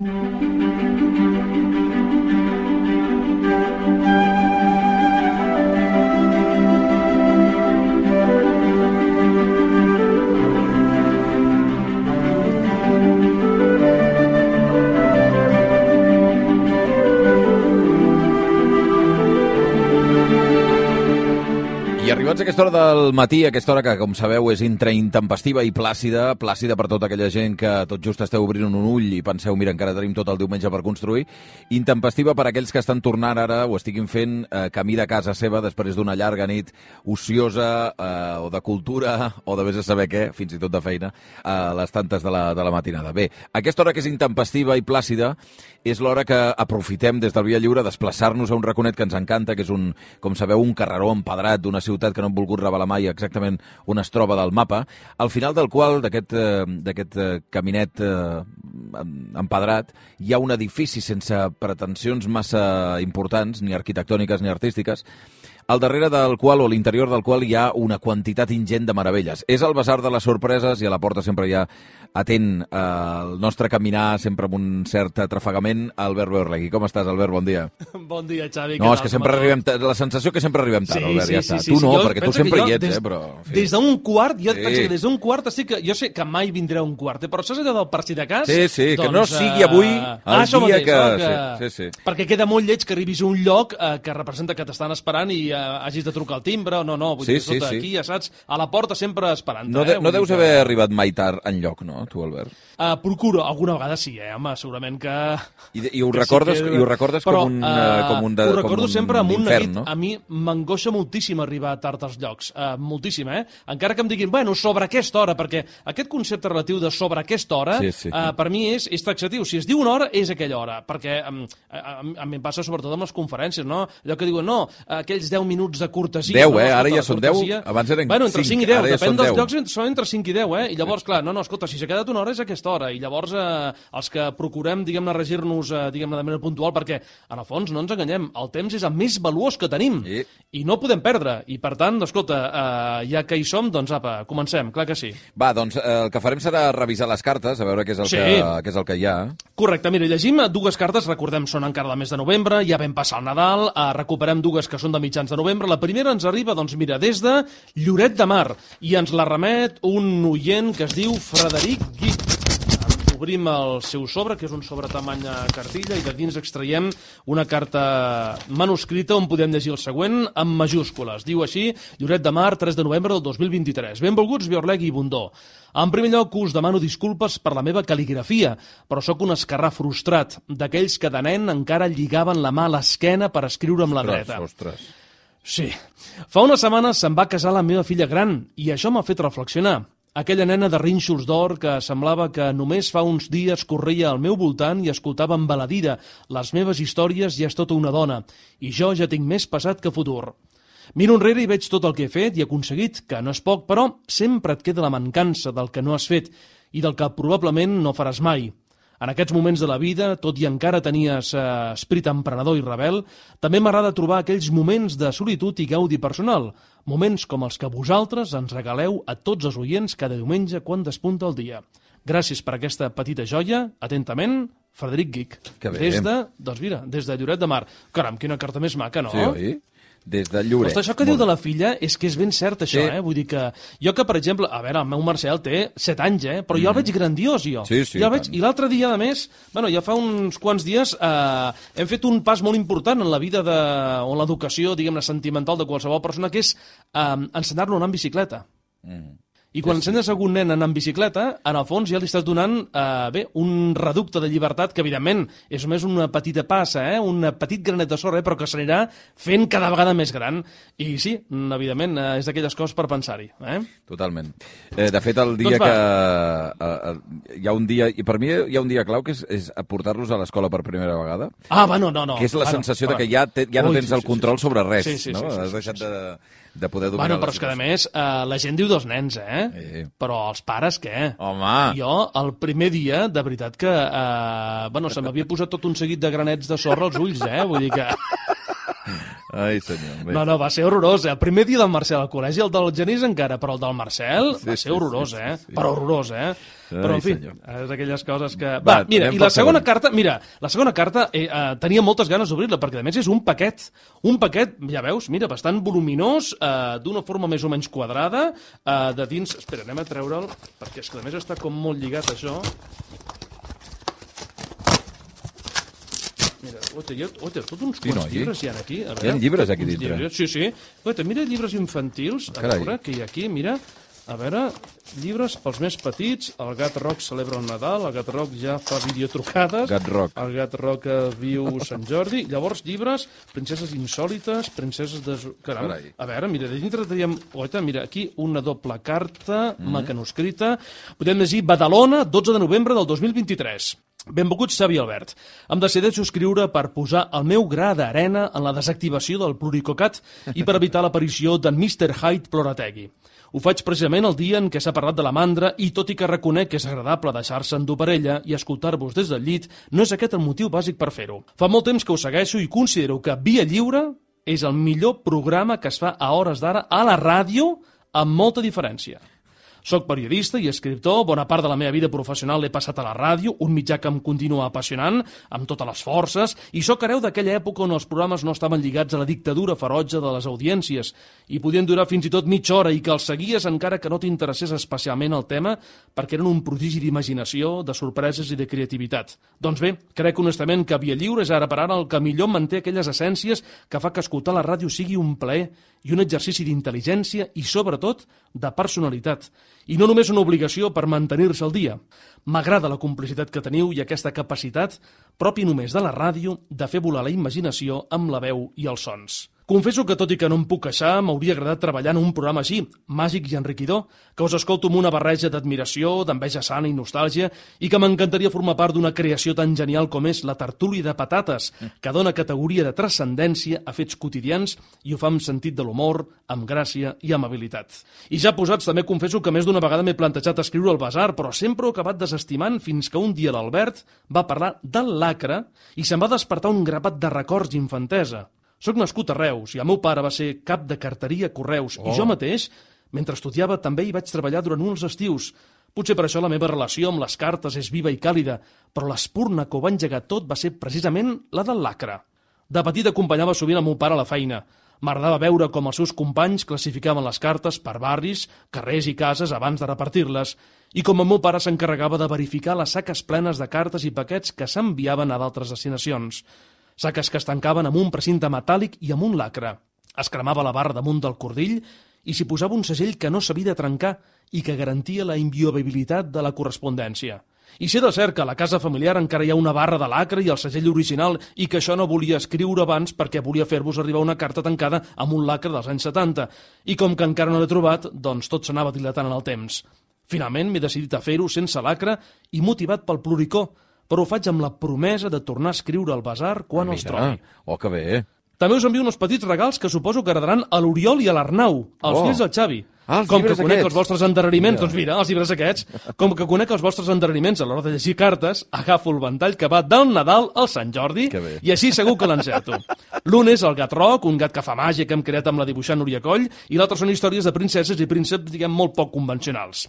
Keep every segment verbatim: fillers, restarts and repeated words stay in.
I arribats a aquesta hora del matí, aquesta hora que, com sabeu, és entre intempestiva i plàcida, plàcida per tota aquella gent que tot just esteu obrint un ull i penseu, mira, encara tenim tot el diumenge per construir, intempestiva per aquells que estan tornant ara o estiguin fent eh, camí de casa seva després d'una llarga nit ociosa eh, o de cultura o de vés a saber què, fins i tot de feina, a les tantes de la, de la matinada. Bé, aquesta hora que és intempestiva i plàcida és l'hora que aprofitem des del Via Lliure desplaçar-nos a un raconet que ens encanta, que és, un, com sabeu, un carreró empedrat d'una ciutat que no hem volgut revelar mai exactament on es troba del mapa, al final del qual, d'aquest eh, caminet eh, empedrat, hi ha un edifici sense pretensions massa importants, ni arquitectòniques ni artístiques, al darrere del qual, o l'interior del qual, hi ha una quantitat ingent de meravelles. És el Basar de les Sorpreses i a la porta sempre hi ha, atent eh, el nostre caminar, sempre amb un cert atrafegament, Albert Beorlegui. Com estàs, Albert? Bon dia. Bon dia, Xavi. No, és que sempre arribem tard. La sensació que sempre arribem tard, sí, Albert, sí, ja està. Sí, sí, tu no, sí. perquè tu sempre hi ets, des, eh, però... Sí. Des d'un quart, jo sí. penso que des d'un quart estic... Jo sé que mai vindré a un quart, eh, però saps allò del per si de cas? Sí, sí, doncs, que no sigui avui el ah, dia mateix, que... No? que... Sí, sí, sí. Perquè queda molt lleig que arribis a un lloc eh, que representa que t'estan esperant i eh, hagis de trucar al timbre, no, no, vull sí, dir, sí, tot sí. Aquí, ja saps, a la porta sempre esperant. No, de, eh? no deus que... haver arribat mai tard enlloc, no, tu, Albert? Uh, procuro, alguna vegada sí, eh, home, segurament que... I, i, ho, recordes, sí que... i ho recordes però, com un, uh, com un, de, ho recordo com un sempre amb un infern, neguit. No? A mi m'angoixa moltíssim arribar tard als llocs, uh, moltíssim, eh? Encara que em diguin, bueno, sobre aquesta hora, perquè aquest concepte relatiu de sobre aquesta hora, sí, sí. Uh, per mi és, és taxatiu. Si es diu una hora, és aquella hora, perquè um, a, a, a mi em passa sobretot amb les conferències, no? Allò que diuen, no, aquells deu minuts de cortesia... deu, no, eh? No, Ara ja són deu, abans eren bueno, entre cinc i deu, ja depèn dels deu. llocs, són entre cinc i deu, eh? I llavors, clar, no, no, escolta, si s'ha quedat una hora és aquesta hora, i llavors eh, els que procurem, diguem-ne, regir-nos, eh, diguem-ne, de manera puntual, perquè, en el fons, no ens enganyem, el temps és el més valuós que tenim, sí. I no podem perdre, i per tant, escolta, eh, ja que hi som, doncs apa, comencem, clar que sí. Va, doncs eh, el que farem serà revisar les cartes, a veure què és el, sí. que, què és el que hi ha. Correcte, mira, llegim dues cartes, recordem, són encara del mes de novembre, ja vam passar el Nadal, eh, recuperem dues que són de mitjans de novembre, la primera ens arriba, doncs mira, des de Lloret de Mar, i ens la remet un oient que es diu Frederic Guic. Obrim el seu sobre, que és un sobre tamany cartilla, i de dins extraiem una carta manuscrita on podem llegir el següent en majúscules. Diu així, Lloret de Mar, tres de novembre del dos mil vint-i-tres. Benvolguts, Beorlegui i Bundó. En primer lloc, us demano disculpes per la meva cal·ligrafia, però sóc un esquerrà frustrat, d'aquells que de nen encara lligaven la mà a l'esquena per escriure amb la dreta. Ostres, ostres. Sí. Fa unes setmanes se'n va casar la meva filla gran, i això m'ha fet reflexionar. Aquella nena de rínxols d'or que semblava que només fa uns dies corria al meu voltant i escoltava embaladida les meves històries i és tota una dona, i jo ja tinc més passat que futur. Miro enrere i veig tot el que he fet i aconseguit, que no és poc, però sempre et queda la mancança del que no has fet i del que probablement no faràs mai. En aquests moments de la vida, tot i encara tenies eh, esperit emprenedor i rebel, també m'agrada trobar aquells moments de solitud i gaudi personal, moments com els que vosaltres ens regaleu a tots els oients cada diumenge quan despunta el dia. Gràcies per aquesta petita joia. Atentament, Frederic Guic. Que bé. Des de, doncs mira, des de Lloret de Mar. Caram, quina carta més maca, no? Sí, oi? Des de Lloret. Ostres, això que diu de la filla és que és ben cert, això, sí. eh? Vull dir que... Jo que, per exemple, a veure, el meu Marcel té set anys, eh? Però jo el veig grandiós, jo. Sí, sí, jo el veig... I l'altre dia, a més, bueno, ja fa uns quants dies, eh, hem fet un pas molt important en la vida de... o en l'educació, diguem-ne, sentimental de qualsevol persona, que és eh, ensenyar-lo a anar en bicicleta. Mm. I quan ensenyes a algun nen a anar en bicicleta, en el fons ja li estàs donant eh, bé, un reducte de llibertat que, evidentment, és només una petita passa, eh? Un petit granet de sorra, eh? Però que s'anirà fent cada vegada més gran. I sí, evidentment, eh, és d'aquelles coses per pensar-hi. Eh? Totalment. Eh, de fet, el dia doncs que... Eh, eh, hi ha un dia... I per mi hi ha un dia clau que és, és portar-los a l'escola per primera vegada. Ah, bueno, no, no. Que és la bueno, sensació bueno. de que ja, te, ja no Ui, tens sí, el control sí, sí. sobre res, sí, sí, no? Sí, sí, Has deixat sí, sí. de... de poder dominar bueno, però és que, a més, eh, la gent diu dels nens, eh? Sí. Però els pares, què? Home! Jo, el primer dia, de veritat que... Eh, bueno, se m'havia posat tot un seguit de granets de sorra als ulls, eh? Vull dir que... Ai, senyor. Bé. No, no, va ser horrorós. El primer dia del Marcel al col·legi, el del Genís encara, però el del Marcel Sí, va sí, ser horrorós, sí, eh? sí, sí. Però horrorós, eh? Ai, Però, en fi, senyor. és aquelles coses que... Va, Va, mira, anem i la pel segona segon. carta, mira, la segona carta eh, eh, tenia moltes ganes d'obrir-la, perquè a més és un paquet, un paquet, ja veus, mira, bastant voluminós, eh, d'una forma més o menys quadrada, eh, de dins... Espera, anem a treure'l, perquè és que a més està com molt lligat, això. Mira, oita, hi ha, oita, tots uns Sí, quants no, aquí? llibres hi ha aquí. A veure, Hi ha llibres aquí uns dintre. Llibres, sí, sí. Oita, mira llibres infantils. A Carai. veure què hi ha aquí, mira. A veure, llibres pels més petits. El gat roc celebra el Nadal. El gat roc ja fa videotrucades. Gat roc. El gat roc eh, viu Sant Jordi. Llavors, llibres, princeses insòlites, princeses de... Caram, Carai. a veure, mira, de dintre teníem... Oita, mira, aquí una doble carta, mm. mecanoscrita. Podem llegir Badalona, dotze de novembre del dos mil vint-i-tres. Benvolguts, Xavi i Albert. Em decideixo escriure per posar el meu gra d'arena en la desactivació del pluricocat i per evitar l'aparició d'en mister Hyde Plorategui. Ho faig precisament el dia en què s'ha parlat de la mandra i, tot i que reconec que és agradable deixar-se endur per ella i escoltar-vos des del llit, no és aquest el motiu bàsic per fer-ho. Fa molt temps que ho segueixo i considero que Via Lliure és el millor programa que es fa a hores d'ara a la ràdio amb molta diferència. Soc periodista i escriptor, bona part de la meva vida professional l'he passat a la ràdio, un mitjà que em continua apassionant, amb totes les forces, i sóc hereu d'aquella època on els programes no estaven lligats a la dictadura ferotge de les audiències, i podien durar fins i tot mitja hora i que els seguies encara que no t'interessés especialment el tema, perquè eren un prodigi d'imaginació, de sorpreses i de creativitat. Doncs bé, crec honestament que Via Lliure és ara per ara el que millor manté aquelles essències que fa que escoltar la ràdio sigui un plaer i un exercici d'intel·ligència i, sobretot, de personalitat. I no només una obligació per mantenir-se al dia. M'agrada la complicitat que teniu i aquesta capacitat, pròpia només de la ràdio, de fer volar la imaginació amb la veu i els sons. Confesso que, tot i que no em puc queixar, m'hauria agradat treballar en un programa així, màgic i enriquidor, que us escolto amb una barreja d'admiració, d'enveja sana i nostàlgia, i que m'encantaria formar part d'una creació tan genial com és la tertúlia de patates, que dona categoria de transcendència a fets quotidians i ho fa amb sentit de l'humor, amb gràcia i amabilitat. I ja posats, també confesso que més d'una vegada m'he plantejat escriure al Basar, però sempre ho he acabat desestimant fins que un dia l'Albert va parlar del lacre i se'm va despertar un grapat de records d'infantesa. Soc nascut a Reus i el meu pare va ser cap de carteria Correus oh. i jo mateix, mentre estudiava, també hi vaig treballar durant uns estius. Potser per això la meva relació amb les cartes és viva i càlida, però l'espurna que ho va engegar tot va ser precisament la del lacre. De petit acompanyava sovint el meu pare a la feina. M'agradava veure com els seus companys classificaven les cartes per barris, carrers i cases abans de repartir-les, i com el meu pare s'encarregava de verificar les saques plenes de cartes i paquets que s'enviaven a d'altres destinacions. Saques que es tancaven amb un precinte metàl·lic i amb un lacre. Es cremava la barra damunt del cordill i s'hi posava un segell que no s'havia de trencar i que garantia la inviolabilitat de la correspondència. I sé de cert que a la casa familiar encara hi ha una barra de lacre i el segell original i que això no volia escriure abans perquè volia fer-vos arribar una carta tancada amb un lacre dels anys setanta. I com que encara no l'he trobat, doncs tot s'anava dilatant en el temps. Finalment m'he decidit a fer-ho sense lacre i motivat pel pluricó, però ho faig amb la promesa de tornar a escriure al Basar quan Mira, els trobi. Oh, que bé. També us envio uns petits regals que suposo que agradaran a l'Oriol i a l'Arnau, els Oh. fills del Xavi. Ah, els Com que llibres conec aquests. els vostres endarreriments, Mira. doncs mira, els llibres aquests, com que conec els vostres endarreriments a l'hora de llegir cartes, agafo el ventall que va del Nadal al Sant Jordi Que bé. i així segur que l'encerto. L'un és el gat roc, un gat que fa màgia que hem creat amb la dibuixant Núria Coll, i l'altre són històries de princeses i prínceps, diguem, molt poc convencionals.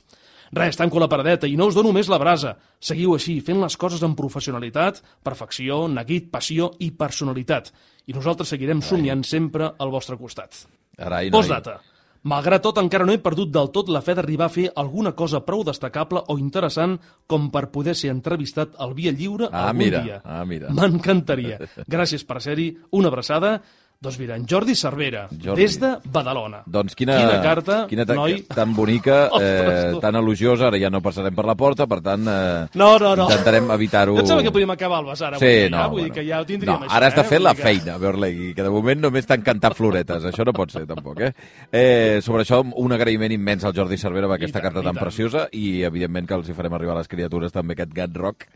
Res, tanco la paradeta i no us dono més la brasa. Seguiu així, fent les coses amb professionalitat, perfecció, neguit, passió i personalitat. I nosaltres seguirem somiant sempre al vostre costat. Arai, noi. Postdata. Malgrat tot, encara no he perdut del tot la fe d'arribar a fer alguna cosa prou destacable o interessant com per poder ser entrevistat al Via Lliure Ah, algun mira, dia. ah, mira. M'encantaria. Gràcies per ser-hi. Una abraçada. Doncs mira, en Jordi Cervera, Jordi. des de Badalona. Doncs quina, quina carta, quina ta noi. tan bonica, Ostres, eh, tu. tan elogiosa, ara ja no passarem per la porta, per tant, eh, No, no, no. intentarem evitar-ho. Jo em sembla que podíem acabar el Basar avui, Sí, ja, no, vull bueno. dir que ja ho tindríem, no, això. ara està eh? fent Vull la dir que- feina, Berlegui, que de moment només t'han cantat floretes, això no pot ser tampoc, eh? eh sobre això, un agraïment immens al Jordi Cervera per aquesta tant, carta i tan tant. preciosa i, evidentment, que els hi farem arribar a les criatures també aquest gat rock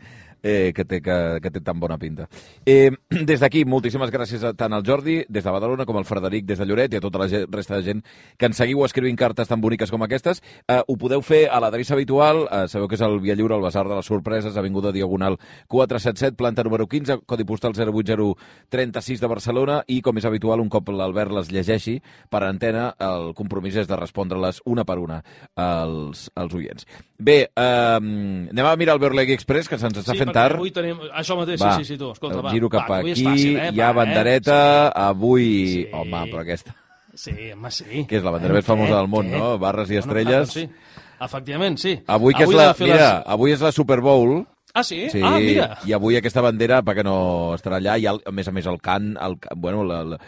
eh, que, té, que, que té tan bona pinta. Eh, des d'aquí, moltíssimes gràcies a, tant al Jordi, des de Badalona, com al Frederic, des de Lloret, i a tota la resta de gent que ens seguiu escrivint cartes tan boniques com aquestes. Eh, ho podeu fer a l'adreça habitual, eh, sabeu que és el Via Lliure, el Basar de les Sorpreses, Avinguda Diagonal quatre set set, planta número quinze, codi postal zero vuit zero tres sis de Barcelona, i, com és habitual, un cop l'Albert les llegeixi per antena, el compromís és de respondre-les una per una als, als oients. Bé, eh, anem a mirar el Berlegui Express, que se'ns està sí, fent tard. Avui tenim... Això mateix, va, sí, sí, sí, tu. Escolta, va. Giro cap va, aquí, fàcil, eh? hi ha va, bandereta, eh? sí. avui... Sí. Home, però aquesta... Sí, home, sí. Que és la bandera més famosa del món, no? Barres i estrelles. Bueno, sí. Efectivament, sí. Avui, que avui és la... Mira, les... avui és la Super Bowl. Ah, sí? Sí, ah, mira. I avui aquesta bandera, perquè no estarà allà, i el, a més a més el cant, el, bueno,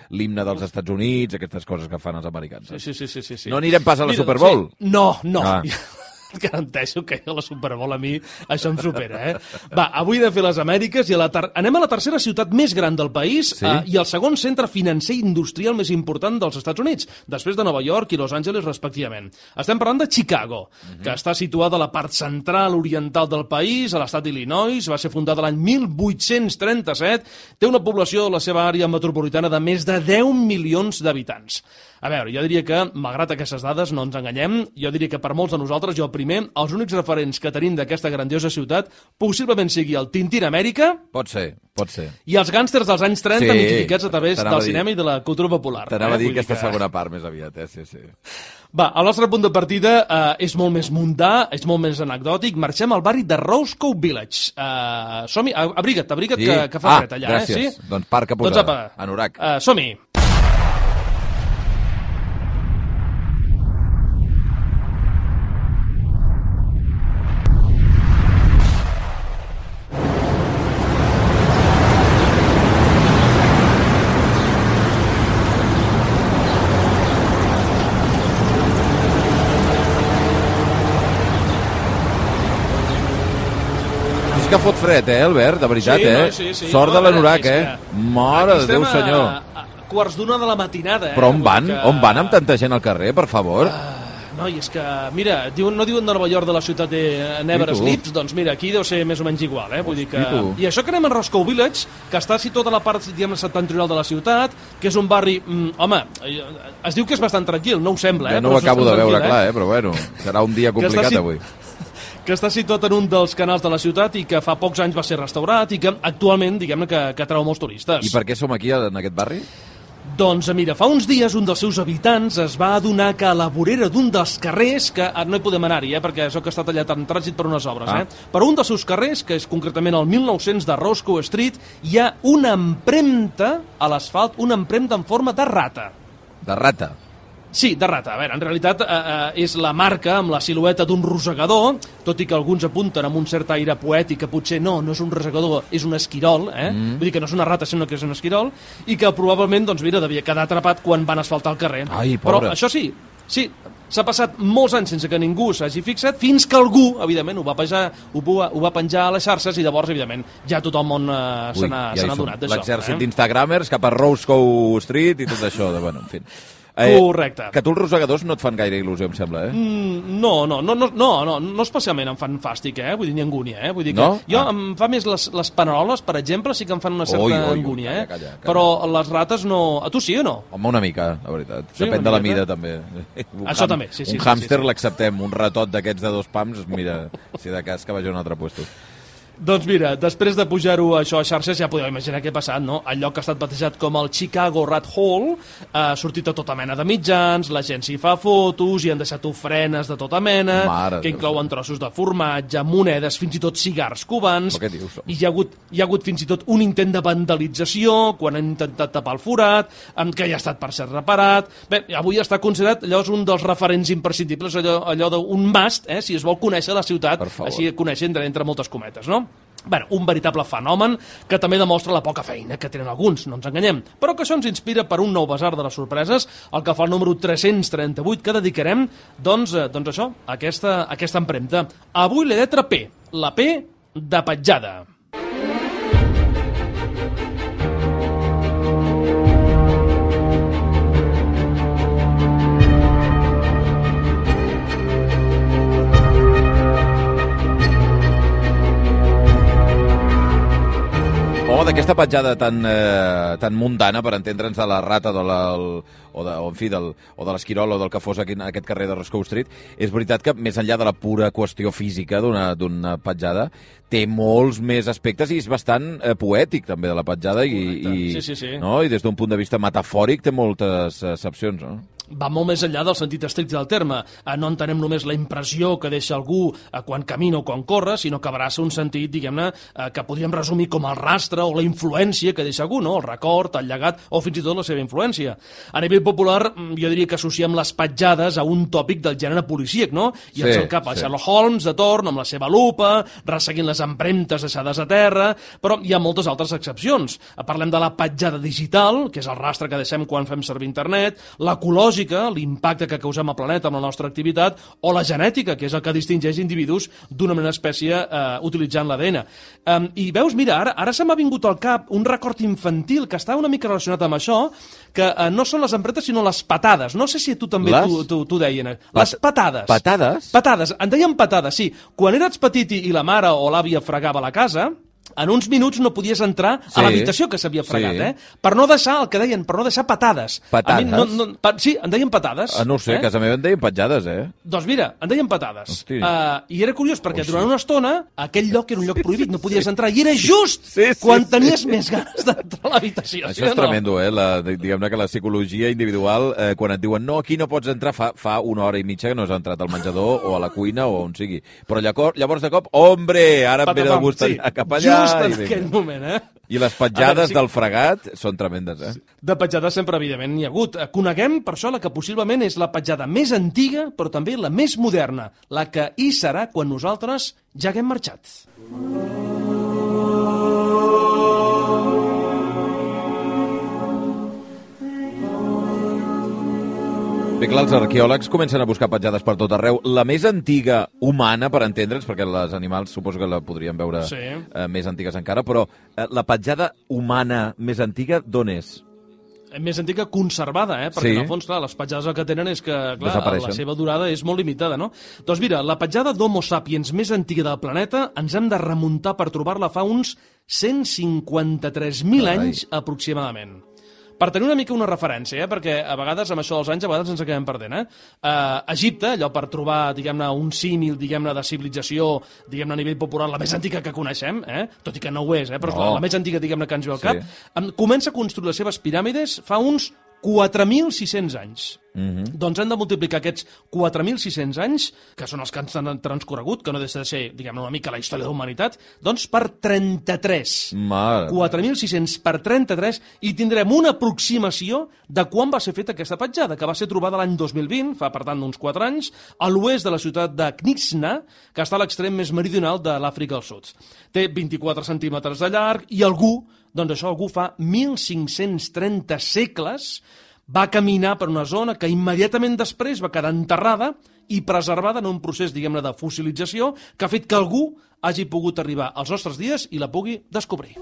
l'himne dels Estats Units, aquestes coses que fan els americans. Sí, sí, sí, sí, sí. No anirem pas a la mira, Super Bowl? Sí. No, no. Ah. Et garanteixo que a la Super Bowl a mi això em supera, eh? Va, avui de fer les Amèriques i a la ter... anem a la tercera ciutat més gran del país sí? eh, i el segon centre financer i industrial més important dels Estats Units, després de Nova York i Los Angeles, respectivament. Estem parlant de Chicago, uh-huh. que està situada a la part central oriental del país, a l'estat d'Illinois, va ser fundada l'any mil vuit-cents trenta-set, té una població a la seva àrea metropolitana de més de deu milions d'habitants. A veure, jo diria que, malgrat aquestes dades, no ens enganyem, jo diria que per molts de nosaltres, jo primer, els únics referents que tenim d'aquesta grandiosa ciutat possiblement sigui el Tintín Amèrica... Pot ser, pot ser. I els gàngsters dels anys trenta, sí, mitificats a través del cinema i de la cultura popular. T'anava eh? a dir aquesta que... segona part més aviat, eh? Sí, sí. Va, el nostre punt de partida eh, és molt més mundà, és molt més anecdòtic. Marxem al barri de Roscoe Village. Eh, som-hi, abriga't, abriga't, sí. que, que fa ah, fred allà. Gràcies. Eh? Sí? Doncs parca posada, doncs, apa, anorac. Eh, som-hi. Que fot fred, eh, Albert? De veritat, sí, eh? No, sí, sí. Sort no, de l'anorac, eh? Mare de Déu, senyor. A, a quarts d'una de la matinada, eh? Però on van? Que... On van amb tanta gent al carrer, per favor? Uh, no, i és que, mira, diuen, no diuen de Nova York de la ciutat de Never Sleeps, doncs mira, aquí deu ser més o menys igual, eh? Vull dir que... I això que anem a Roscoe Village, que està situat a la part, diguem, septentrional de la ciutat, que és un barri... Mm, home, es diu que és bastant tranquil, no ho sembla, eh? Ja no ho acabo de veure, eh? clar, eh? Però bueno, serà un dia complicat si... avui. que està situat en un dels canals de la ciutat i que fa pocs anys va ser restaurat i que actualment, diguem-ne, que, que atrau molts turistes. I per què som aquí, en aquest barri? Doncs mira, fa uns dies un dels seus habitants es va adonar que a la vorera d'un dels carrers, que no hi podem anar-hi, eh, perquè això que està tallat en trànsit per unes obres, ah. eh? Per un dels seus carrers, que és concretament el mil nou-cents de Roscoe Street, hi ha una empremta a l'asfalt, una empremta en forma de rata. De rata? Sí, de rata. A veure, en realitat eh, eh, és la marca amb la silueta d'un rosegador, tot i que alguns apunten amb un cert aire poètic que potser no, no és un rosegador, és un esquirol, eh? Mm. Vull dir que no és una rata, sinó que és un esquirol, i que probablement, doncs mira, devia quedar atrapat quan van asfaltar el carrer. Ai, pobre. Però això sí, sí, s'ha passat molts anys sense que ningú s'hagi fixat, fins que algú, evidentment, ho va, penjar, ho, va, ho va penjar a les xarxes i llavors, evidentment, ja tot el món eh, se n'ha ja adonat d'això. L'exèrcit eh? d'instagramers cap a Roscoe Street i tot això, de, bueno, en fi... Eh, Correcte. Que tu els rosegadors no et fan gaire il·lusió, em sembla, eh? Mm, no, no, no, no, no, no, no especialment em fan fàstic, eh? Vull dir, ni angúnia, eh? Vull dir que no? jo ah. em fa més les, les paneroles, per exemple, sí que em fan una certa oi, oi, angúnia, oi, eh? calla, calla, calla. Però les rates no... A tu sí o no? Home, una mica, la veritat. Sí, depèn de la mida, també. Un Això ham, també, sí, sí. Un sí, hàmster sí, sí. l'acceptem, un ratot d'aquests de dos pams, mira, si de cas que vagi a un altre puesto. Doncs mira, després de pujar-ho això a xarxes, ja podeu imaginar què ha passat, no? El lloc ha estat batejat com el Chicago Rat Hole, ha sortit a tota mena de mitjans, la gent s'hi fa fotos, i han deixat ofrenes de tota mena, Mare que inclouen trossos de formatge, monedes, fins i tot cigars cubans, què dius? i hi ha, hagut, hi ha hagut fins i tot un intent de vandalització, quan han intentat tapar el forat, que ja ha estat per ser reparat. Bé, avui està considerat allò un dels referents imprescindibles, allò, allò d'un must, eh, si es vol conèixer la ciutat, així conèixer entre, entre moltes cometes, no? Bé, un veritable fenomen que també demostra la poca feina que tenen alguns, no ens enganyem, però que això ens inspira per un nou basar de les sorpreses, el que fa el número tres-cents trenta-vuit, que dedicarem, doncs, doncs això, a aquesta, a aquesta empremta. Avui la lletra P, la P de petjada. Home, d'aquesta petjada tan, eh, tan mundana, per entendre'ns, de la rata de la, el, o, de, o, en fi, del, o de l'esquirol o del que fos aquí, en aquest carrer de Roscoe Street, és veritat que, més enllà de la pura qüestió física d'una petjada, té molts més aspectes i és bastant eh, poètic, també, de la petjada, i, i, sí, sí, sí. No? I des d'un punt de vista metafòric té moltes accepcions, no? Va molt més enllà del sentit estricte del terme. No entenem només la impressió que deixa algú quan camina o quan corre, sinó que abraça un sentit, diguem-ne, que podríem resumir com el rastre o la influència que deixa algú, no? El record, el llegat o fins i tot la seva influència. A nivell popular, jo diria que associem les petjades a un tòpic del gènere policíac, no? I ens sí, el cap a sí. Sherlock Holmes, de torn, amb la seva lupa, resseguint les empremtes deixades a terra, però hi ha moltes altres excepcions. Parlem de la petjada digital, que és el rastre que deixem quan fem servir internet, l'ecològica, l'impacte que causem al planeta amb la nostra activitat, o la genètica, que és el que distingeix individus d'una menor espècie eh, utilitzant l'A D N. Um, I veus, mira, ara, ara se m'ha vingut al cap un record infantil que està una mica relacionat amb això, que eh, no són les empretes, sinó les patades. No sé si tu també les... t'ho deien. Les patades. Patades? Patades. En deien patades, sí. Quan eres petit i la mare o l'àvia fregava la casa, en uns minuts no podies entrar sí, a l'habitació que s'havia fregat, sí. eh? Per no deixar, el que deien, per no deixar patades. Patades? A mi no, no, pa, sí, en deien patades. Ah, no ho sé, eh? A casa meva en deien petjades, eh? Doncs mira, en deien patades. Uh, I era curiós, perquè Hosti. durant una estona aquell lloc era un lloc prohibit, no podies sí. entrar, i era just sí, sí, quan sí, tenies sí. més ganes d'entrar a l'habitació. Això sí és no? tremendo, eh? La, diguem-ne que la psicologia individual, eh, quan et diuen no, aquí no pots entrar, fa, fa una hora i mitja que no has entrat al menjador o a la cuina o on sigui. Però llavors, llavors de cop, hombre, ara em ve de gust sí. cap allà. Just en aquell moment. Eh? I les petjades veure, sí. del fregat són tremendes, eh? De petjades sempre, evidentment, n'hi ha hagut. Coneguem, per això, la que possiblement és la petjada més antiga, però també la més moderna, la que hi serà quan nosaltres ja haguem marxat. Bé, clar, els arqueòlegs comencen a buscar petjades per tot arreu. La més antiga humana, per entendre'ns, perquè les animals suposo que la podrien veure sí. eh, més antigues encara, però eh, la petjada humana més antiga d'on és? Més antiga conservada, eh? Perquè sí. en el fons, clar, les petjades el que tenen és que, clar, la seva durada és molt limitada, no? Doncs mira, la petjada d'Homo sapiens més antiga del planeta ens hem de remuntar per trobar-la fa uns cent cinquanta-tres mil anys aproximadament. Per tenir una mica una referència, eh? Perquè a vegades, amb això dels anys, a vegades ens acabem perdent. Eh? Uh, Egipte, allò per trobar, diguem-ne, un símil, diguem-ne, de civilització, diguem-ne, a nivell popular, la més antiga que coneixem, eh? Tot i que no ho és, eh? Però no. la, la més antiga, diguem-ne, que ens ve al cap, sí. comença a construir les seves piràmides fa uns quatre mil sis-cents anys. Mm-hmm. Doncs hem de multiplicar aquests quatre mil sis-cents anys, que són els que ens han transcorregut, que no deixa de ser, diguem-ne, una mica la història de la humanitat, doncs per trenta-tres. Mare. quatre mil sis-cents per trenta-tres, i tindrem una aproximació de quan va ser feta aquesta petjada, que va ser trobada l'any dos mil vint, fa per tant uns quatre anys, a l'oest de la ciutat de Knixna, que està a l'extrem més meridional de l'Àfrica del Sud. Té vint-i-quatre centímetres de llarg, i algú, doncs això algú fa mil cinc-cents trenta segles, va caminar per una zona que immediatament després va quedar enterrada i preservada en un procés, diguem-ne, de fossilització que ha fet que algú hagi pogut arribar als nostres dies i la pugui descobrir.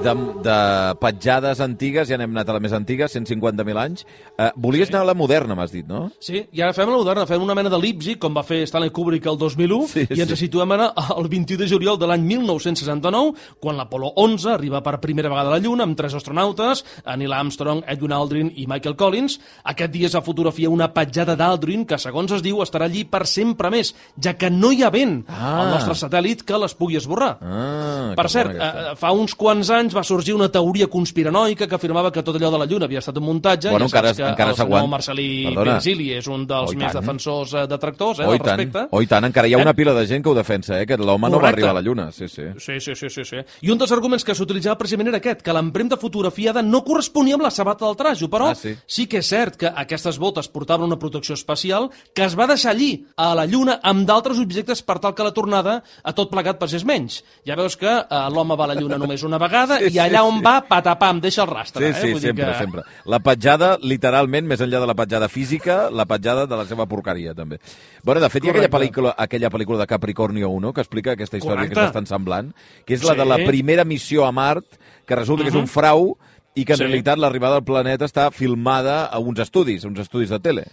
De, de petjades antigues, ja n'hem anat a la més antiga, cent cinquanta mil anys. Uh, volies sí. anar a la moderna, m'has dit, no? Sí, i ara fem la moderna, fem una mena d'elipsi, com va fer Stanley Kubrick el dos mil u, sí, i ens sí. situem ara el vint-i-u de juliol de l'any mil nou-cents seixanta-nou, quan l'Apolo onze arriba per primera vegada a la Lluna amb tres astronautes, Neil Armstrong, Edwin Aldrin i Michael Collins. Aquest dia es va fotografia una petjada d'Aldrin que, segons es diu, estarà allí per sempre més, ja que no hi ha vent ah. al nostre satèl·lit que les pugui esborrar. Ah, per cert, eh, fa uns quants anys va sorgir una teoria conspiranoica que afirmava que tot allò de la Lluna havia estat un muntatge. Bueno, ja encara, saps que encara el senyor Marcelí Virgili és un dels oh, més tant. defensors eh, detractors eh, oh, del respecte. Oh, i tant, encara hi ha una pila de gent que ho defensa, eh, que l'home no va arribar a la Lluna. Sí sí. Sí, sí, sí, sí, sí. I un dels arguments que s'utilitzava precisament era aquest, que l'empremta fotografiada no corresponia amb la sabata del trajo, però ah, sí. sí que és cert que aquestes botes portaven una protecció especial que es va deixar allí, a la Lluna, amb d'altres objectes per tal que la tornada a tot plegat passés menys. Ja veus que eh, l'home va a la Lluna només una vegada sí, i allà sí, on sí. va, patapà, em deixa el rastre. Sí, eh? sí, Vull sempre, que... sempre. La petjada, literalment, més enllà de la petjada física, la petjada de la seva porqueria, també. Bueno, de fet, hi ha aquella pel·lícula, aquella pel·lícula de Capricornio uno que explica aquesta història Correcte. que és bastant semblant, que és la sí. de la primera missió a Mart, que resulta Uh-huh. que és un frau i que en Sí. realitat l'arribada al planeta està filmada a uns estudis, a uns estudis de tele.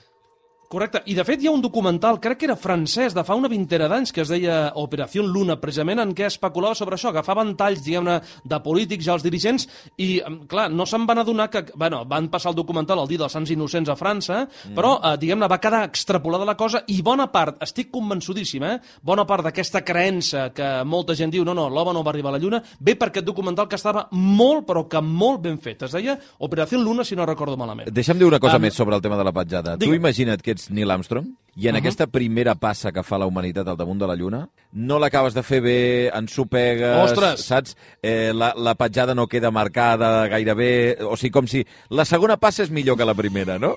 Correcte. I, de fet, hi ha un documental, crec que era francès, de fa una vintena d'anys, que es deia Operació Luna, precisament en què especulava sobre això. Agafaven talls, diguem-ne, de polítics, ja els dirigents, i, clar, no se'n van adonar que... Bueno, van passar el documental el dia dels Sants Innocents a França, mm. però, eh, diguem-ne, va quedar extrapolada la cosa, i bona part, estic convençudíssim, eh? Bona part d'aquesta creença que molta gent diu no, no, l'home no va arribar a la Lluna, ve per aquest documental que estava molt, però que molt ben fet. Es deia Operació Luna, si no recordo malament. Deixa'm dir una cosa Um, més sobre el tema de la petjada. digue. Tu imagina't que ets Neil Armstrong i en Uh-huh. aquesta primera passa que fa la humanitat al damunt de la Lluna no l'acabes de fer bé, ensopegues, Ostres! saps? Eh, la, la petjada no queda marcada gairebé, o sigui, com si la segona passa és millor que la primera, no?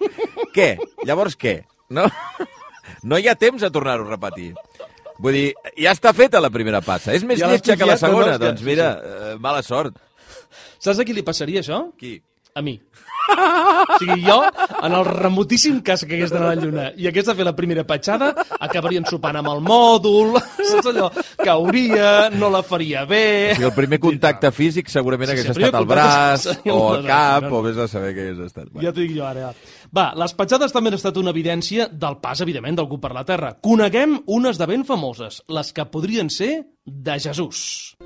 Què? Llavors què? No, no hi ha temps a tornar-ho a repetir. Vull dir, ja està feta la primera passa. És més Ja l'has lletja que la copiat, no, no, segona. és que- Doncs mira, eh, mala sort. Saps a qui li passaria això? Qui? A mi. O sigui, jo, en el remotíssim cas que hagués d'anar a la Lluna i hagués de fer la primera petjada, acabarien sopant amb el mòdul, saps allò? Cauria, no la faria bé... O sigui, el primer contacte físic segurament Sí, sí, hagués el primer estat al contacte braç, seria o el al braç, cap, no, no. o vés a saber què hagués estat. Ja t'ho dic jo ara. Va, les petjades també han estat una evidència del pas, evidentment, d'algú per la Terra. Coneguem unes de ben famoses, les que podrien ser de Jesús.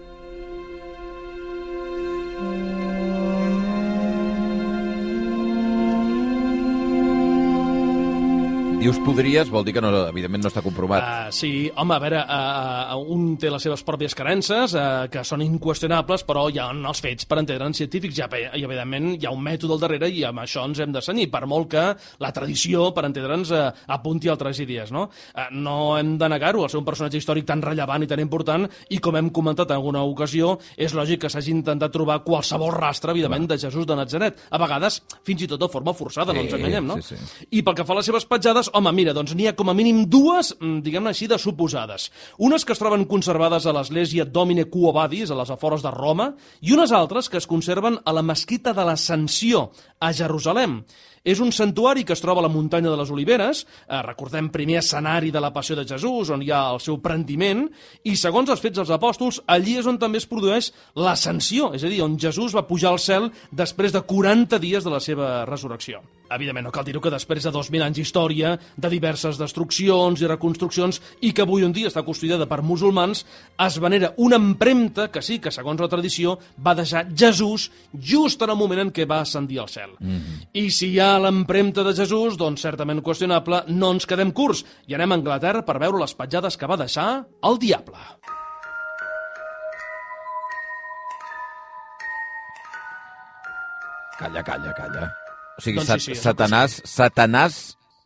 Dius podries, vol dir que no, evidentment no està comprovat. Uh, sí, home, a veure, uh, uh, un té les seves pròpies creences, uh, que són inqüestionables, però hi ha els fets per entendre'n científics, i, i evidentment hi ha un mètode al darrere i amb això ens hem de cenyir, per molt que la tradició, per entendre'ns, uh, apunti altres idees, no? Uh, no hem de negar-ho, el ser un personatge històric tan rellevant i tan important, i com hem comentat en alguna ocasió, és lògic que s'hagi intentat trobar qualsevol rastre, evidentment, de Jesús de Natzaret. A vegades, fins i tot de forma forçada, Sí, no ens enganyem, no? sí, sí. I pel que fa a les seves petjades, home, mira, doncs n'hi ha com a mínim dues, diguem-ne així, de suposades. Unes que es troben conservades a l'església Domine Quo Vadis, a les afores de Roma, i unes altres que es conserven a la mesquita de l'Ascensió, a Jerusalem. És un santuari que es troba a la muntanya de les Oliveres, eh, recordem primer escenari de la passió de Jesús, on hi ha el seu prendiment, i segons els fets dels apòstols, allí és on també es produeix l'ascensió, és a dir, on Jesús va pujar al cel després de quaranta dies de la seva resurrecció. Evidentment, no cal dir-ho que després de dos mil anys d'història, de diverses destruccions i reconstruccions, i que avui en dia està custodiada per musulmans, es venera una empremta que sí, que segons la tradició, va deixar Jesús just en el moment en què va ascendir al cel. Mm-hmm. I si hi ha l'empremta de Jesús, doncs certament qüestionable, no ens quedem curts i anem a Anglaterra per veure les petjades que va deixar el diable. Calla, calla, calla. O sigui, Doncs sat sí, sí, és el que Satanàs, Satanàs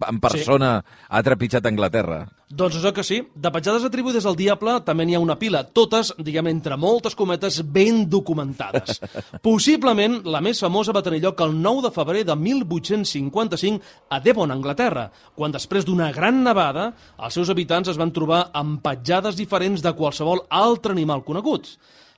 en persona sí. ha trepitjat Anglaterra. Doncs això que sí. De petjades atribuïdes al diable també n'hi ha una pila, totes, diguem, entre moltes cometes, ben documentades. Possiblement, la més famosa va tenir lloc el nou de febrer de mil vuit-cents cinquanta-cinc a Devon, Anglaterra, quan després d'una gran nevada, els seus habitants es van trobar amb petjades diferents de qualsevol altre animal conegut.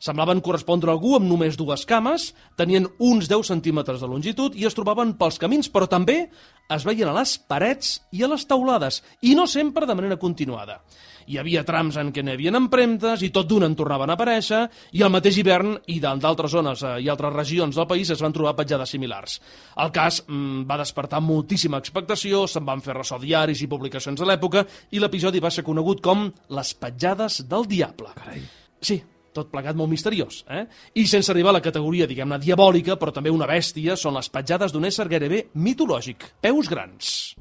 Semblaven correspondre a algú amb només dues cames, tenien uns deu centímetres de longitud i es trobaven pels camins, però també es veien a les parets i a les teulades, i no sempre de manera continuada. Hi havia trams en què n'hi havia empremtes i tot d'una en tornaven a aparèixer, i al mateix hivern i d'altres zones i altres regions del país es van trobar petjades similars. El cas mmm, va despertar moltíssima expectació, se'n van fer ressò diaris i publicacions de l'època, i l'episodi va ser conegut com les petjades del diable. Carai. Sí, tot plegat molt misteriós, eh? I sense arribar a la categoria, diguem-ne, diabòlica, però també una bèstia, són les petjades d'un ésser gairebé mitològic, peus grans.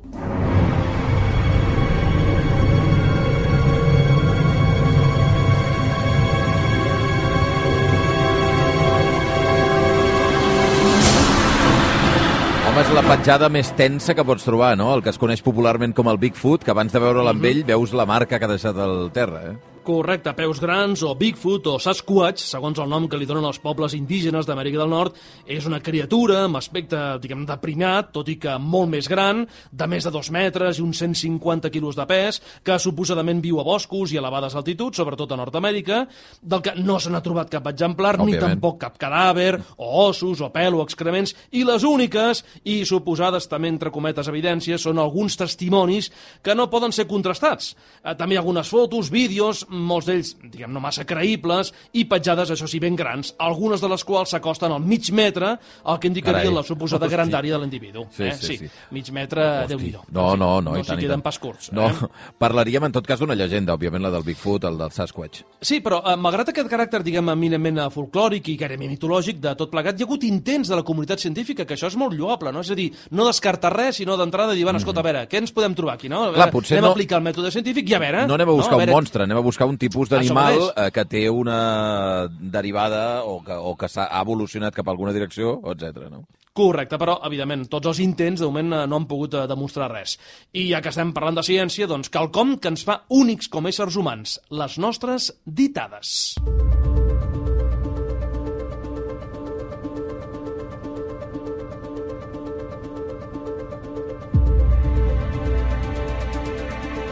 Home, és la petjada més tensa que pots trobar, no? El que es coneix popularment com el Bigfoot, que abans de veure'l amb ell veus la marca que ha deixat al terra, eh? Correcte, peus grans o Bigfoot o Sasquatch, segons el nom que li donen els pobles indígenes d'Amèrica del Nord, és una criatura amb aspecte, diguem, de primat, tot i que molt més gran, de més de dos metres i uns cent cinquanta quilos de pes, que suposadament viu a boscos i a elevades altituds, sobretot a Nord-Amèrica, del que no se n'ha trobat cap exemplar, Òbviament. ni tampoc cap cadàver, o ossos, o pèl, o excrements, i les úniques, i suposades també entre cometes evidències, són alguns testimonis que no poden ser contrastats. Eh, també hi ha algunes fotos, vídeos, molts d'ells, diguem, no massa creïbles, i petjades, això sí, ben grans, algunes de les quals s'acosten al mig metre, el que indicaria Carai. la suposada Hosti. grandària de l'individu. Sí, eh? sí, sí, sí. Mig metre, Déu-n'hi-do. No, no, no, no i tant, s'hi i queden tant. pas curts. No, eh? parlaríem en tot cas d'una llegenda, òbviament, la del Bigfoot, el del Sasquatch. Sí, però eh, malgrat aquest caràcter, diguem, eminentment folclòric i gairebé mitològic de tot plegat, hi ha hagut intents de la comunitat científica, que això és molt lloable, no? És a dir, no descartar res, sinó d'entrada dir, bueno, escolta, a veure, què ens podem trobar aquí, no? A veure, Clar, potser anem no... a aplicar el mètode científic i a veure... No anem a buscar no? a veure... un monstre, anem a buscar un tipus d'animal eh, que té una derivada o que, o que s'ha evolucionat cap a alguna direcció, etcètera. No? Correcte, però, evidentment, tots els intents de moment no han pogut demostrar res. I ja que estem parlant de ciència, doncs quelcom que ens fa únics com a éssers humans, les nostres ditades.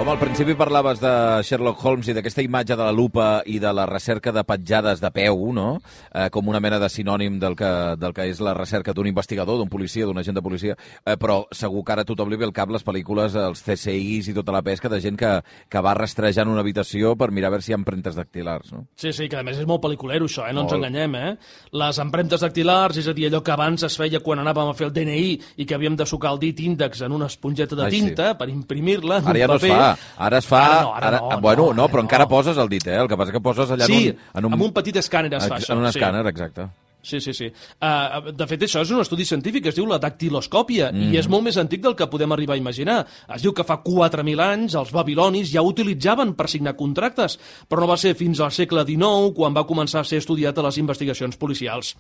Home, al principi parlaves de Sherlock Holmes i d'aquesta imatge de la lupa i de la recerca de petjades de peu, no? Eh, com una mena de sinònim del que, del que és la recerca d'un investigador, d'un policia, d'un agent de policia, eh, però segur que ara a tothom li ve al cap les pel·lícules, els C S Is i tota la pesca de gent que, que va rastrejant una habitació per mirar a veure si hi ha empremtes dactilars, no? Sí, sí, que a més és molt pel·liculero això, eh? No molt. ens enganyem, eh? Les empremtes dactilars, és a dir, allò que abans es feia quan anàvem a fer el D N I i que havíem de sucar el dit índex en una esponjeta de Ai, tinta sí. per imprimir-la en ara ja un no paper. Es fa. Ara es fa... Ara no, ara ara, no, bueno, no, no, però no. encara poses el dit, eh? El que passa que poses allà sí, en un... en un... amb un petit escàner es fa això. En un sí. escàner, exacte. Sí, sí, sí. Uh, de fet, això és un estudi científic, es diu la dactiloscòpia, mm. i és molt més antic del que podem arribar a imaginar. Es diu que fa quatre mil anys els babilonis ja ho utilitzaven per signar contractes, però no va ser fins al segle dinou quan va començar a ser estudiat a les investigacions policials.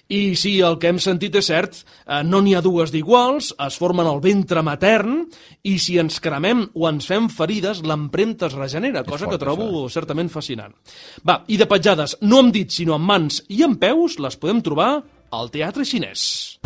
I si el que hem sentit és cert, uh, no n'hi ha dues d'iguals, es formen al ventre matern, i si ens cremem o ens fem ferides, l'empremta es regenera, cosa fort, que trobo això. certament fascinant. Va, i de petjades, no amb dits, sinó amb mans i amb peus, les podem trobar al teatre xinès.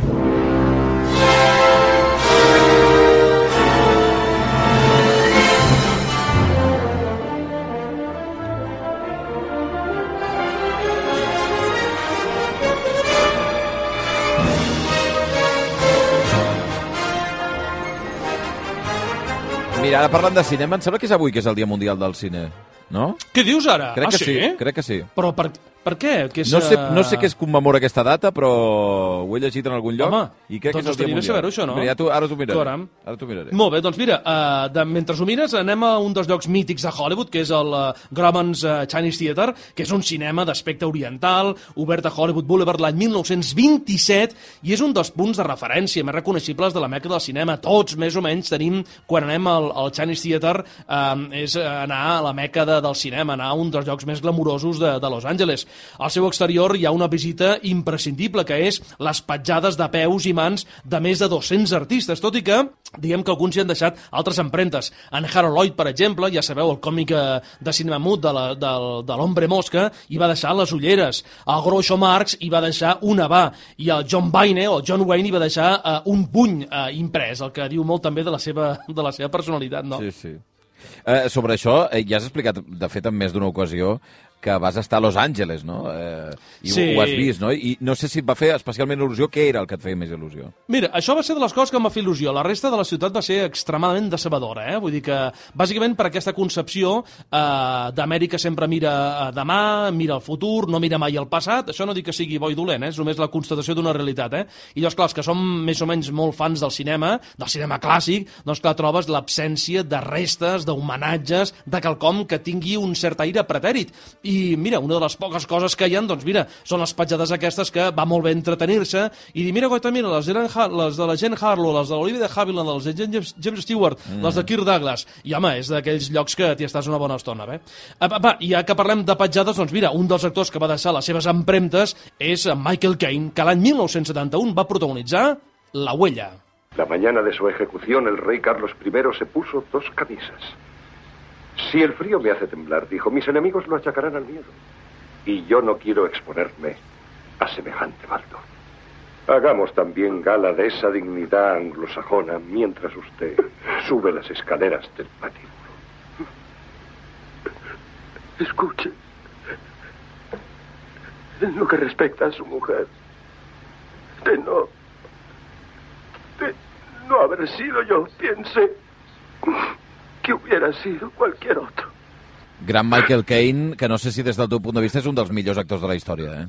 Mira, ara parlant de cinema, em sembla que és avui que és el Dia Mundial del Cine, no? Què dius ara? Crec ah, que sí? sí, crec que sí. Però per, per què? Que és, no, sé, no sé què es commemora aquesta data, però ho he llegit en algun lloc. Home, i crec doncs que és el Dia Mundial. saber-ho, això, no? Mira, ja tu, ara t'ho miraré. Caram. Ara t'ho miraré. Molt bé, doncs mira, uh, de, mentre ho mires, anem a un dels llocs mítics de Hollywood, que és el uh, Grauman's uh, Chinese Theatre, que és un cinema d'aspecte oriental, obert a Hollywood Boulevard l'any mil nou-cents vint-i-set, i és un dels punts de referència més reconeixibles de la meca del cinema. Tots, més o menys, tenim, quan anem al, al Chinese Theatre, uh, és anar a la meca de, del cinema, anar a un dels llocs més glamurosos de, de Los Angeles. Al seu exterior hi ha una visita imprescindible, que és les petjades de peus i mans de més de dos-cents artistes, tot i que diguem que alguns hi han deixat altres empremtes. En Harold Lloyd, per exemple, ja sabeu, el còmic de cinema mut de, la, de, de l'Hombre Mosca, hi va deixar les ulleres. El Groucho Marx hi va deixar una va, i el John Wayne, o John Wayne, hi va deixar uh, un puny uh, imprès, el que diu molt també de la seva, de la seva personalitat, no? Sí, sí. Eh, sobre això, eh, ja has explicat, de fet, en més d'una ocasió, que vas estar a Los Angeles, no? Eh, I sí. ho, ho has vist, no? I no sé si et va fer especialment il·lusió. Què era el que et feia més il·lusió? Mira, això va ser de les coses que em va fer il·lusió. La resta de la ciutat va ser extremadament decebedora, eh? Vull dir que, bàsicament, per aquesta concepció eh, d'Amèrica sempre mira a demà, mira al futur, no mira mai al passat. Això no dic que sigui bo i dolent, eh? És només la constatació d'una realitat, eh? I llavors, clar, els que som més o menys molt fans del cinema, del cinema clàssic, doncs, clar, trobes l'absència de restes, d'homenatges, de quelcom que tingui un cert aire pretèrit. I mira, una de les poques coses que hi ha, doncs mira, són les petjades aquestes que va molt bé entretenir-se i dir, mira, goita, mira, les, eren, les de la Jane Harlow, les de l'Olivia de Havilland, les de James, James Stewart, mm. les de Kirk Douglas, i home, és d'aquells llocs que t'hi estàs una bona estona, bé? Va, i ja que parlem de petjades, doncs mira, un dels actors que va deixar les seves empremtes és Michael Caine, que l'any mil nou-cents setanta-u va protagonitzar La Huella. La mañana de su ejecución, el rey Carlos primero se puso dos camisas. Si el frío me hace temblar, dijo, mis enemigos lo achacarán al miedo. Y yo no quiero exponerme a semejante baldo. Hagamos también gala de esa dignidad anglosajona mientras usted sube las escaleras del patíbulo. Escuche. En lo que respecta a su mujer, de no... de no haber sido yo, piense... que hubiera sido cualquier otro. Gran Michael Caine, que no sé si des del teu punt de vista és un dels millors actors de la història, eh?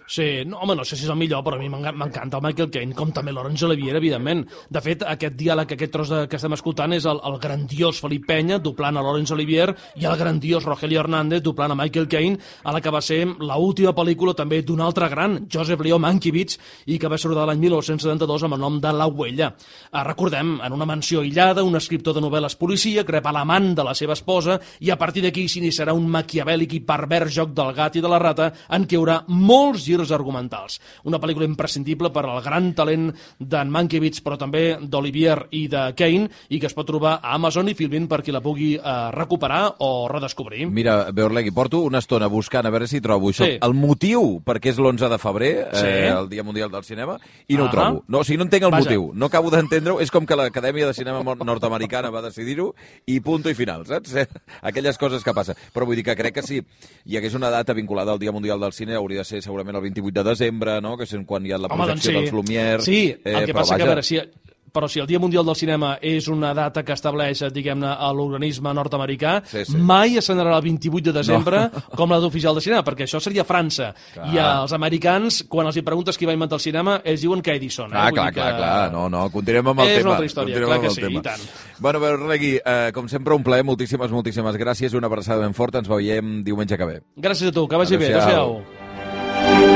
Sí, no, home, no sé si és el millor, però a mi m'encanta el Michael Caine, com també Laurence Olivier, evidentment. De fet, aquest diàleg, aquest tros de, que estem escoltant és el, el grandiós Felip Penya doblant a Laurence Olivier i el grandiós Rogelio Hernández doblant a Michael Caine a la que va ser l'última pel·lícula també d'un altre gran, Joseph Leo Mankiewicz, i que va sortir l'any mil nou-cents setanta-dos amb el nom de La Huella. Eh, recordem, en una mansió aïllada, un escriptor de novel·les policia crepa l'amant de la seva esposa i a partir d'aquí s'iniciarà un maquiavèlic i pervers joc del gat i de la rata en què hi haurà molts girs argumentals. Una pel·lícula imprescindible per al gran talent d'en Mankiewicz, però també d'Olivier i de Caine, i que es pot trobar a Amazon i Filmin per qui la pugui eh, recuperar o redescobrir. Mira, Beorlegui, porto una estona buscant a veure si trobo això. Sí. El motiu perquè és l'onze de febrer, Sí. eh, el Dia Mundial del Cinema, i no Ah. ho trobo. No, o sigui, no entenc el Vaja. motiu. No acabo d'entendre-ho. És com que l'Acadèmia de Cinema nord-americana va decidir-ho i punto i final, saps? Aquelles coses que passen. Però vull dir que crec que si hi hagués una data vinculada al Dia Mundial del Cine hauria de ser segurament el vint-i-vuit de desembre, no? Que és quan hi ha la Home, doncs projecció sí. dels Lumière. Sí, el eh, que però passa que, a vaja, veure, si, però si el Dia Mundial del Cinema és una data que estableix, diguem-ne, a l'organisme nord-americà, Sí, sí. mai ascenderà el vint-i-vuit de desembre no. com la d'oficial de cinema, perquè això seria França. Clar. I els americans, quan els hi preguntes qui va inventar el cinema, ells diuen que Edison. Eh? Ah, Vull clar, dir que... clar, clar. No, no, continuem amb el És tema. una altra història, Continuem clar amb que el sí, tema. i tant. Bueno, Beorlegui, eh, com sempre, un plaer. Moltíssimes, moltíssimes gràcies. Una abraçada ben forta. Ens veiem diumenge que ve. Gràcies a tu, que vagi bé. Adéu-siau. Adéu-siau.